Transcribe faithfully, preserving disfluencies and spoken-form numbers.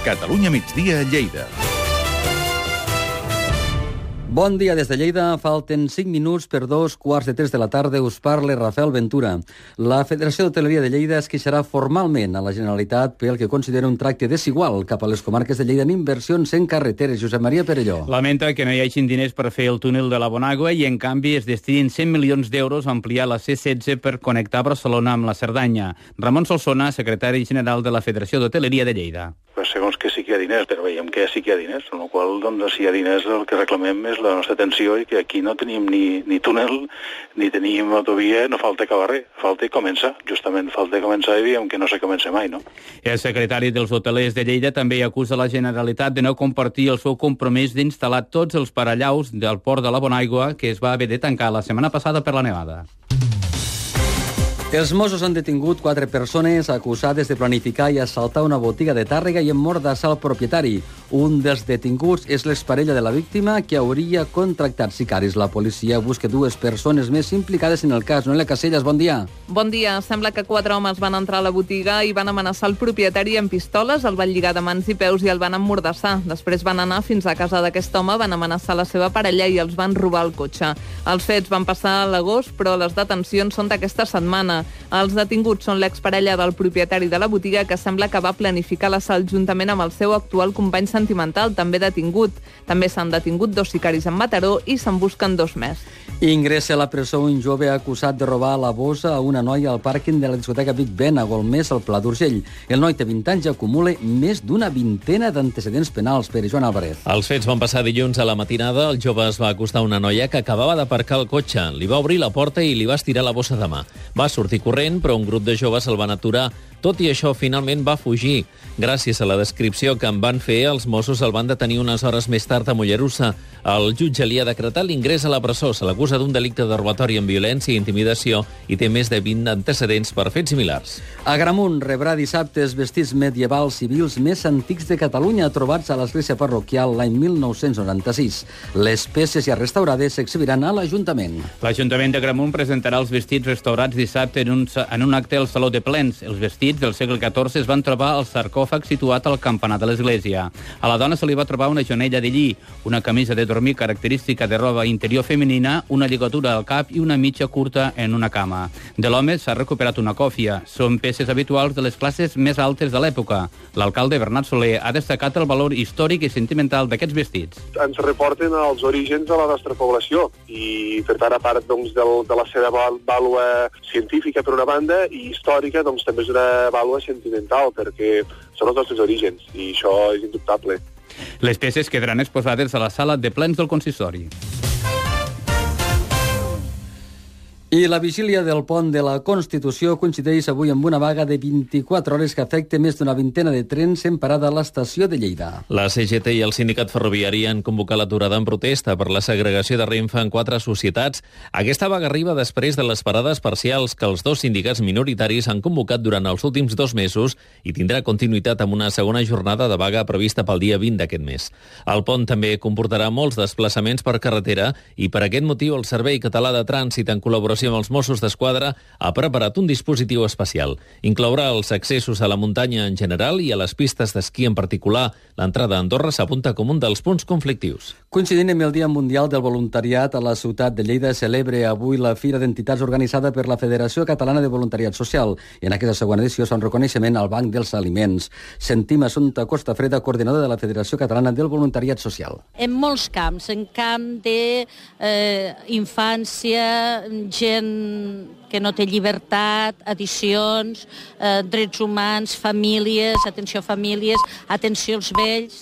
Catalunya migdia a Lleida. Bon dia des de Lleida. Falten cinc minuts per dos quarts de tres de la tarda. Us parla Rafael Ventura. La Federació d'Hoteleria de Lleida es queixarà formalment a la Generalitat pel que considera un tracte desigual cap a les comarques de Lleida en inversions en carreteres. Josep Maria Perelló. Lamenta que no hi hagin diners per fer el túnel de la Bonàgua i, en canvi, es destinin cent milions d'euros a ampliar la C setze per connectar Barcelona amb la Cerdanya. Ramon Solsona, secretari general de la Federació d'Hoteleria de Lleida. Pues segons que sí que hi ha diners, però veiem que sí que hi ha diners, amb la qual cosa, doncs, si hi ha diners, el que reclamem és la nostra atenció i que aquí no tenim ni, ni túnel, ni tenim autovia, no falta acabar res, falta començar, justament falta començar i diem que no se comença mai, no? El secretari dels hotelers de Lleida també acusa la Generalitat de no compartir el seu compromís d'instal·lar tots els parallaus del port de la Bonàgua que es va haver de tancar la setmana passada per la nevada. Els Mossos han detingut quatre persones acusades de planificar i assaltar una botiga de Tàrrega i emmordassar el propietari. Un dels detinguts és l'exparella de la víctima que hauria contractat sicaris. La policia busca dues persones més implicades en el cas. Noelia Casellas, bon dia. Bon dia. Sembla que quatre homes van entrar a la botiga i van amenaçar el propietari amb pistoles, el van lligar de mans i peus i el van emmordassar. Després van anar fins a casa d'aquest home, van amenaçar la seva parella i els van robar el cotxe. Els fets van passar a l'agost, però les detencions són d'aquesta setmana. Els detinguts són l'exparella del propietari de la botiga, que sembla que va planificar l'assalt juntament amb el seu actual company sentimental, també detingut. També s'han detingut dos sicaris en Mataró i se'n busquen dos més. Ingressa a la presó un jove acusat de robar la bossa a una noia al pàrquing de la discoteca Big Ben a Golmés, al Pla d'Urgell. El noi té vint anys i acumula més d'una vintena d'antecedents penals. Per Joan Álvarez. Els fets van passar dilluns a la matinada. El jove es va acostar a una noia que acabava d'aparcar el cotxe. Li va obrir la porta i li va estirar la bossa de mà. Va sortir corrent, però un grup de joves el van aturar. Tot i això, finalment va fugir. Gràcies a la descripció que en van fer, els Mossos el van detenir unes hores més tard a Mollerussa. El jutge li ha decretat l'ingrés a la presó. Se l'acusa d'un delicte de robatori amb violència i intimidació i té més de vint antecedents per fets similars. Agramunt rebrà dissabte els vestits medievals civils més antics de Catalunya, trobats a l'església parroquial l'any mil nou-cents noranta-sis. Les peces ja restaurades s'exhibiran a l'Ajuntament. L'Ajuntament d'Agramunt presentarà els vestits restaurats dissabte en un, en un acte al Saló de Plens. Els vestits del segle catorze es van trobar al sarcòfag situat al campanar de l'església. A la dona se li va trobar una jonella de lli, una camisa de dormir característica de roba interior femenina, una lligatura al cap i una mitja curta en una cama. De l'home s'ha recuperat una còfia. Són peces habituals de les classes més altes de l'època. L'alcalde Bernat Soler ha destacat el valor històric i sentimental d'aquests vestits. Ens reporten als orígens de la nostra població i, per tant, a part doncs, del, de la seva vàlua científica per una banda i històrica, doncs també és una vàlua sentimental, perquè són els nostres orígens, i això és indubtable. Les peces quedaran exposades a la sala de plens del consistori. I la vigília del pont de la Constitució coincideix avui amb una vaga de vint-i-quatre hores que afecta més d'una vintena de trens en parada a l'estació de Lleida. La C G T i el sindicat ferroviari han convocat l'aturada en protesta per la segregació de Renfe en quatre societats. Aquesta vaga arriba després de les parades parcials que els dos sindicats minoritaris han convocat durant els últims dos mesos i tindrà continuïtat amb una segona jornada de vaga prevista pel dia vint d'aquest mes. El pont també comportarà molts desplaçaments per carretera i per aquest motiu el Servei Català de Trànsit, en col·laboració amb els Mossos d'Esquadra, ha preparat un dispositiu especial. Inclourà els accessos a la muntanya en general i a les pistes d'esquí en particular. L'entrada a Andorra s'apunta com un dels punts conflictius. Coincidint amb el Dia Mundial del Voluntariat, a la ciutat de Lleida celebra avui la Fira d'Entitats organitzada per la Federació Catalana de Voluntariat Social. I en aquesta segona edició fa un reconeixement al Banc dels Aliments. Sentim Assumpta Costafreda, coordinadora de la Federació Catalana del Voluntariat Social. En molts camps, en camp de eh, infància, gent que no té llibertat, addiccions, eh, drets humans, famílies, atenció a famílies, atenció als vells.